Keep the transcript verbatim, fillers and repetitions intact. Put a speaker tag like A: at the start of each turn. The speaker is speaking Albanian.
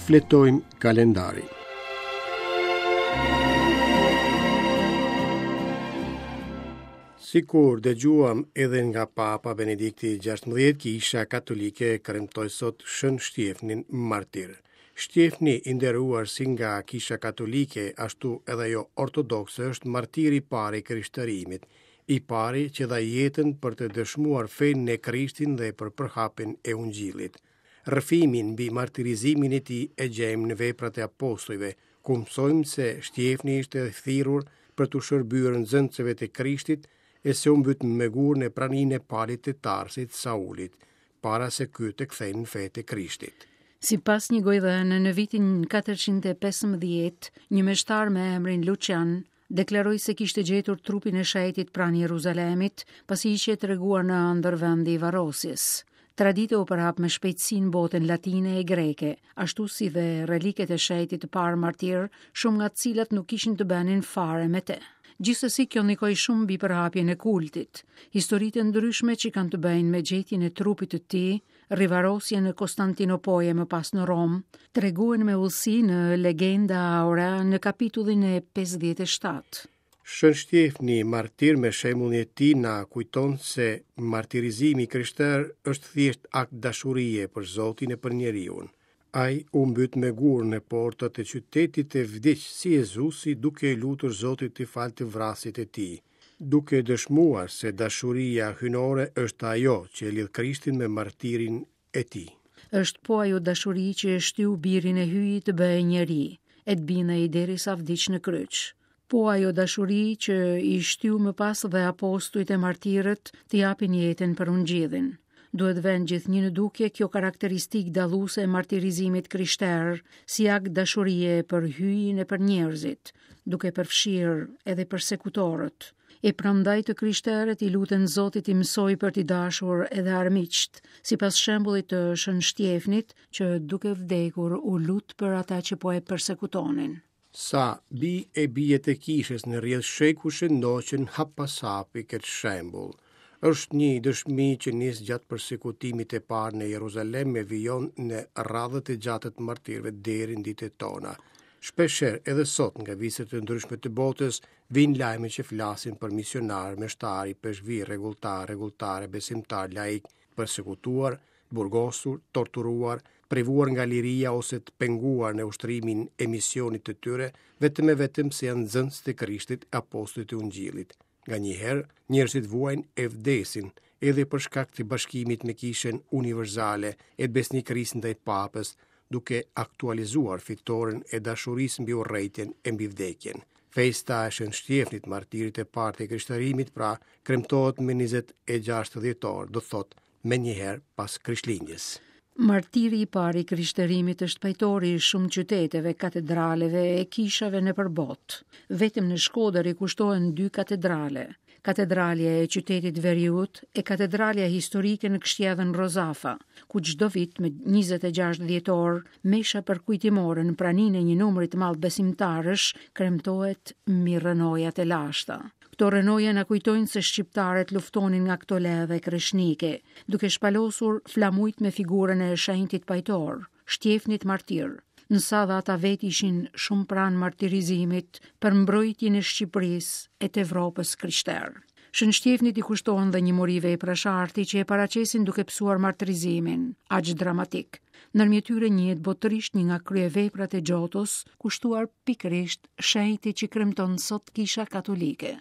A: Shfletojmë kalendarin. Sikur dëgjuam edhe nga Papa Benedikti gjashtëmbëdhjetë, Kisha Katolike kremtoi sot Shën Shtjefnin martir. Shtjefni i nderuar si nga Kisha Katolike, ashtu edhe ajo ortodokse është martiri i parë i krishterimit, i pari që dha jetën për të dëshmuar fenë në Krishtin dhe për përhapjen e Ungjillit. Rrëfimin mbi martirizimin e tij e gjejmë në veprat e apostujve, ku mësojmë se Shtjefni ishte thirrur për t'u shërbyer nxënësve të Krishtit e se u mbyt me gur në praninë e Palit të Tarsit, Saulit, para se ky të kthehej në fe të Krishtit.
B: Sipas një gojëdhëne, në vitin katërqind e pesëmbëdhjetë, një meshtar me emrin Lucian deklaroi se kishte gjetur trupin e shenjtit pranë Jeruzalemit, pasi ishte treguar në ëndër vendi i varrosjes. Tradita u përhap me shpejtësi në botën latine e greke, ashtu si dhe reliket e shenjtit të parë martir, shumë nga të cilat nuk kishin të bënin fare me te. Gjithsesi kjo ndikoi shumë mbi përhapjen e kultit. Historitë e ndryshme që kanë të bëjnë me gjetjen e trupit të tij, rivarosjen në Konstantinopojë më pas në Romë, tregohen me udhësi në Legenda Aurea në kapitullin e pesëdhjetë e shtatë.
A: Shën Shtjefni martir me shembullin e tij na kujton se martirizimi i krishter është thjesht akt dashurie për Zotin e për njeriun. Ai u mbyt me gur në portat e qytetit e vdiq si Jezusi duke e lutur Zotit të falë të vrasjet e tij, duke dëshmuar se dashuria hyjnore është ajo që e lidh Krishtin me martirin e tij.
B: Është po ajo dashuri që e shtyu birin e Hyjit të bëhej njeri, e të bindej derisa vdiq në kryq. Po ajo dashuri që i shtyu më pas dhe apostujt e martirët të japin jetën për ungjillin. Duhet vënë gjithnjë në dukje kjo karakteristikë dalluese e martirizimit krishter, si akt dashurie për Hyjin e për njerëzit, duke përfshirë edhe persekutorët. E prandaj të krishterët i luten Zotit i mësoj për t'i dashur edhe armiqt, sipas shembullit të Shën Shtjefnit, që duke vdekur u lut për ata që po e persekutonin.
A: Sa bi e bijet e kishës në rrjedh shekush ndoqën hap pas hapi këtë shembull. Është një dëshmi që nis gjatë persekutimit të parë në Jeruzalem e vijon në radhët e gjata të martirëve deri në ditët tona. Shpeshherë edhe sot nga viset të ndryshme të botës vijnë lajme që flasin për misionarë, meshtari, peshvi, rregulltar, rregulltare, besimtar, laik, persekutuar, burgosur, torturuar, privuar nga liria ose të penguar në ushtrimin e misionit të tyre, vetëm e vetëm se janë nxënës të Krishtit, apostujt e Ungjillit. Nga njëherë, njerëzit vuajnë e vdesin, edhe për shkak të bashkimit me kishën universale e të besnikërisë ndaj papës, duke aktualizuar fitoren e dashurisë mbi urrejtjen e mbi vdekjen. Festa e Shën Shtjefnit, martirit e parë të krishterimit, pra, kremtohet me njëzet e gjashtë dhjetor, do të thotë menjëherë pas Krishtlindjes.
B: Martiri i parë i krishterimit është pajtori i shumë qyteteve, katedraleve e kishave nëpër botë. Vetëm në Shkodër i kushtohen dy katedrale, katedralja e qytetit veriut e katedralja historike në Kështjellën Rozafa, ku çdo vit me njëzet e gjashtë dhjetor, mesha përkujtimore në praninë e një numri të madh besimtarësh kremtohet mbi rrënojat e lashta. Këto rrënoja na kujtojnë se shqiptarët luftonin nga këto ledhe kreshnike, duke shpalosur flamujt me figurën e shenjtit pajtor, Shtjefnit martir. Nësa dhe ata vetë ishin shumë pranë martirizimit për mbrojtjen e Shqipërisë e të Evropës krishterë. Shën Shtjefnit i kushtohen dhe një mori veprash arti që e paraqesin duke pësuar martirizimin, aq dramatik. Ndërmjet tyre njihet botërisht një nga kryeveprat e Giotos, kushtuar pikërisht shenjtit që kremton sot Kisha Katolike.